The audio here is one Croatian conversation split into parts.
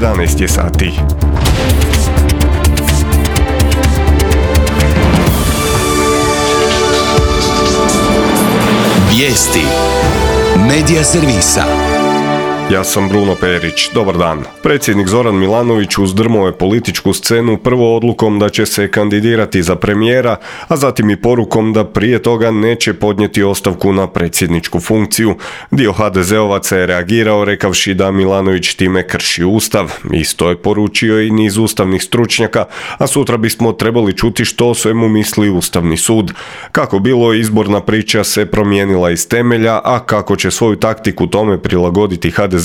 11 je sati. Vijesti Medija servisa. Ja sam Bruno Perić, dobar dan. Predsjednik Zoran Milanović uzdrmao je političku scenu prvo odlukom da će se kandidirati za premijera, a zatim i porukom da prije toga neće podnijeti ostavku na predsjedničku funkciju. Dio HDZ-ovaca je reagirao rekavši da Milanović time krši ustav. Isto je poručio i niz ustavnih stručnjaka, a sutra bismo trebali čuti što o svemu misli Ustavni sud. Kako bilo, izborna priča se promijenila iz temelja, a kako će svoju taktiku tome prilagoditi HDZ-ovci,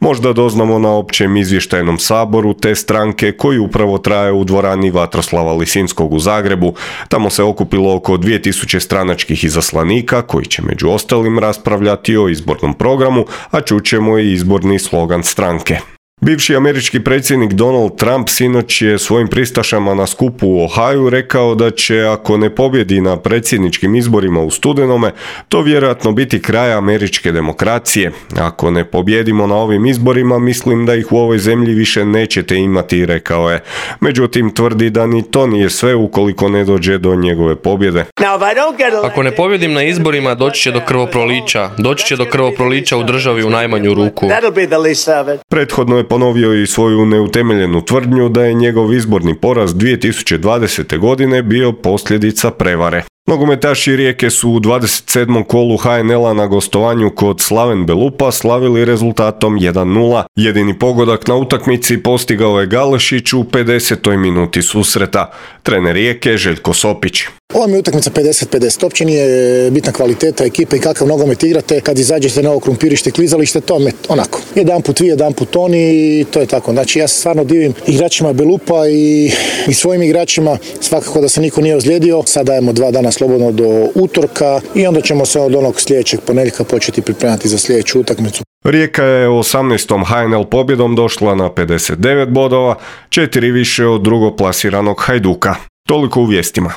možda doznamo na općem izvještajnom saboru te stranke koji upravo traje u dvorani Vatroslava Lisinskog u Zagrebu. Tamo se okupilo oko 2000 stranačkih izaslanika koji će među ostalim raspravljati o izbornom programu, a čućemo i izborni slogan stranke. Bivši američki predsjednik Donald Trump sinoć je svojim pristašama na skupu u Ohaju rekao da će, ako ne pobjedi na predsjedničkim izborima u studenome, to vjerojatno biti kraj američke demokracije. Ako ne pobjedimo na ovim izborima, mislim da ih u ovoj zemlji više nećete imati, rekao je. Međutim, tvrdi da ni to nije sve ukoliko ne dođe do njegove pobjede. Ako ne pobjedim na izborima, doći će do krvoprolića. Doći će do krvoprolića u državi u najmanju ruku. Prethodno je ponovio i svoju neutemeljenu tvrdnju da je njegov izborni poraz 2020. godine bio posljedica prevare. Nogometaši Rijeke su u 27. kolu HNL-a na gostovanju kod Slaven Belupa slavili rezultatom 1:0. Jedini pogodak na utakmici postigao je Galešić u 50. minuti susreta. Trener Rijeke Željko Sopić. Ova mi je utakmica 50-50. Uopće nije bitna kvaliteta ekipe i kakav nogomet igrate. Kad izađete na ovo krumpirište, klizalište, to je onako. Jedanput vi, jedanput oni i to je tako. Znači ja se stvarno divim igračima Belupa i svojim igračima. Svakako da se niko nije ozlijedio. Sad dajemo 2 dana slobodno do utorka i onda ćemo se od onog sljedećeg ponedjeljka početi pripremati za sljedeću utakmicu. Rijeka je 18. HNL pobjedom došla na 59 bodova, 4 više od drugoplasiranog Hajduka. Toliko u vijestima.